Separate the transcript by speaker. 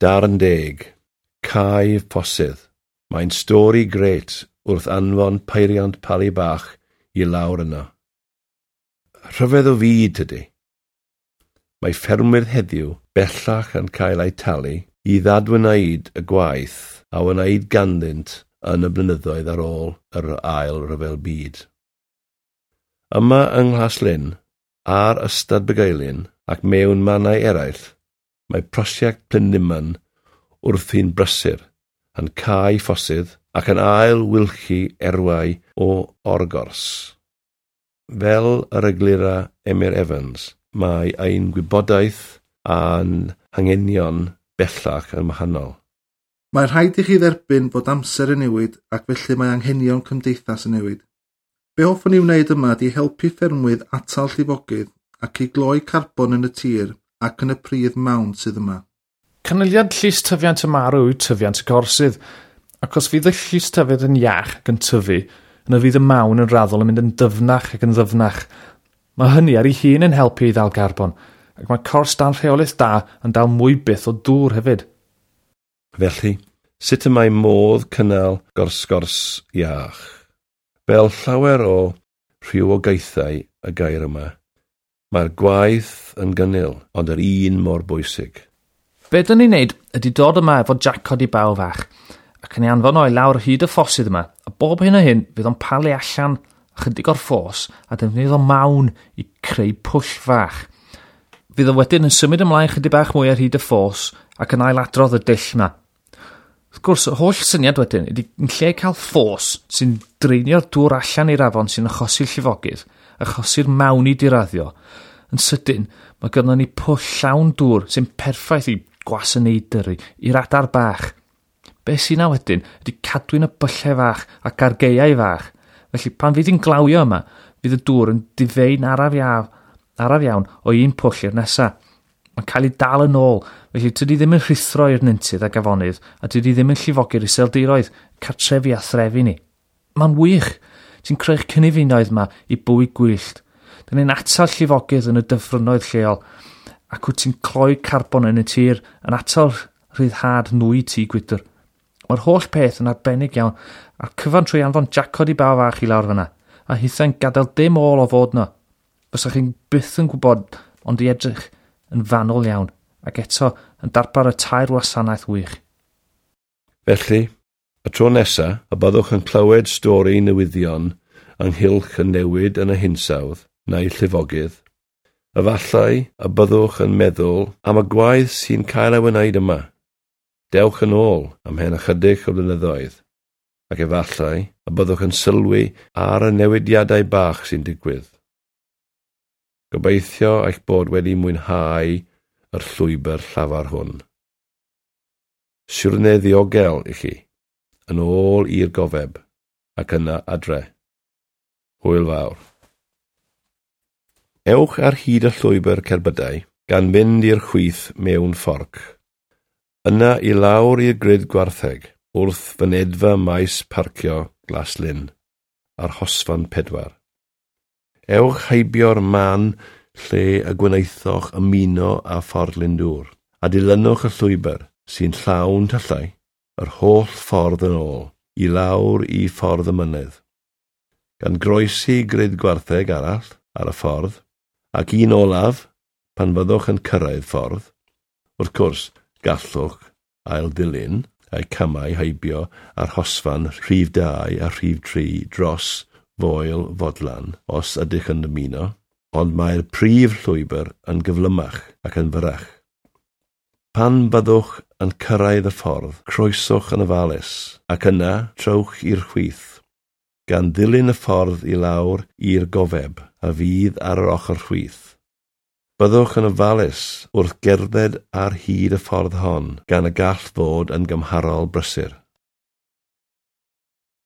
Speaker 1: Darn deg, Cae Ffosydd. Mae'n stori grêt wrth anfon peiriant palu bach i lawr yno. Rhyfedd o fyd tydi. Mae ffermwyr heddiw bellach yn cael eu talu i ddadwneud y gwaith a wnaed ganddynt yn y blynyddoedd ar ôl yr Ail Ryfel Byd. Yma yng Nghlaslyn, ar Ystad Bugeilyn ac mewn mannau eraill, mae prosiect Plynlimon wrthi'n brysur, yn cau ffosydd ac yn ail wylchu erwau o orgors. Fel yr eglura Emyr Evans, mae ein gwybodaeth a'n hanghenion bellach yn wahanol.
Speaker 2: Mae rhaid i chi dderbyn bod amser yn newid ac felly mae anghenion cymdeithas yn newid. Be hoffwn i wneud yma ydy helpu ffermwyr atal llifogydd ac i gloi carbon yn y tir ac yn y pridd mawn sydd yma.
Speaker 3: Canlyniad llys tyfiant y marw yw tyfiant y gorsydd, ac os fydd y llys tyfiant yn iach ac yn tyfu, yna fydd y mawn yn raddol yn mynd yn dyfnach ac yn ddyfnach. Mae hynny ar ei hun yn helpu i ddal garbon, ac mae cors dan rheolaeth da yn dal mwy byth o dŵr hefyd.
Speaker 1: Felly, sut y mae modd cynnal gorsgors iach? Fel llawer o rhywogaethau y gair yma, mae'r gwaith yn gynnil, ond yr un mor bwysig.
Speaker 3: Be dyn ni'n neud ydy dod yma efo jacod i baw fach, ac yn ei anfon o i lawr hyd y ffosydd yma, a bob hyn a hyn fydd o'n palu allan ychydig o'r ffos a defnyddio mawn i creu pwll fach. Fydd o wedyn yn symud ymlaen chydig bach mwy ar hyd y ffos ac yn ailadrodd y dull yma. Wrth gwrs, y holl syniad wedyn ydy yn lle cael ffos sy'n dreinio'r dŵr allan i'r afon sy'n achosi'r llifogydd, achosi'r mawn i diraddio, yn sydyn mae gynnon ni pwll llawn dŵr sy'n perffaith i gwasanaethau i'r adar bach. Be sy'n na wedyn ydy cadwyn y byllau fach ac argeiau fach. Felly pan fydd hi'n glawio yma, fydd y dŵr yn difei'n araf iawn, araf iawn o un pwll i'r nesa. Mae'n cael ei dal yn ôl, felly tydi ddim yn rhuthro i'r nyntydd ac afonydd, a tydi ddim yn llifogi'r iseldiroedd, cartrefi a threfi ni. Mae'n wych. Ti'n creu'ch cynefinoedd yma i bywyd gwyllt. Dyn ni'n atal llifogydd yn y dyffrynnoedd lleol, ac wyt ti'n cloi carbon yn y tir yn atal rhyddhad nwy tŷ gwydr. Mae'r holl peth yn arbennig iawn, a'r cyfan trwy anfon jacod i baw fach i lawr fyna, a hithau'n gadael dim ôl o fod yno. Fysa chi'n byth yn gwybod, ond i edrych yn fanwl iawn, ac eto yn darpar y tair wasanaeth wych.
Speaker 1: Felly, y tro nesa, y byddwch yn clywed stori newyddion ynghylch y newid yn y hinsawdd neu llifogydd, efallai y byddwch yn meddwl am y gwaith sy'n cael ei wneud yma. Dewch yn ôl am hen ychydig o blynyddoedd, ac efallai y byddwch yn sylwi ar y newidiadau bach sy'n digwydd. Gobeithio eich bod wedi mwynhau yr llwybr llafar hwn. Siwrne ddiogel i chi, yn ôl i'r gofeb, ac yna adre. Hwyl fawr. Ewch ar hyd y llwybr cerbydau, gan fynd i'r chwith mewn fforc. Yna i lawr i'r grid gwartheg, wrth fynedfa maes parcio Glaslyn, ar Hosfan 4. Ewch heibio'r man lle y gwnaethoch ymuno â Ffordd Glyndŵr, a dilynwch y llwybr sy'n llawn tyllau, yr holl ffordd yn ôl, i lawr i Ffordd y Mynydd. Gan groesi grid gwartheg arall ar y ffordd, ac un olaf, pan fyddwch yn cyrraedd ffordd, wrth gwrs, gallwch ail-ddilyn a'u camau heibio ar hosfan rhif 2 a rhif 3 dros Foel Fodlan, os ydych yn dymuno, ond mae'r prif llwybr yn gyflymach ac yn fyrrach. Pan byddwch yn cyrraedd y ffordd, croeswch yn ofalus, ac yna trowch i'r chwith, gan ddilyn y ffordd i lawr i'r gofeb a fydd ar yr ochr chwith. Byddwch yn ofalus wrth gerdded ar hyd y ffordd hon, gan y gall fod yn gymharol brysur.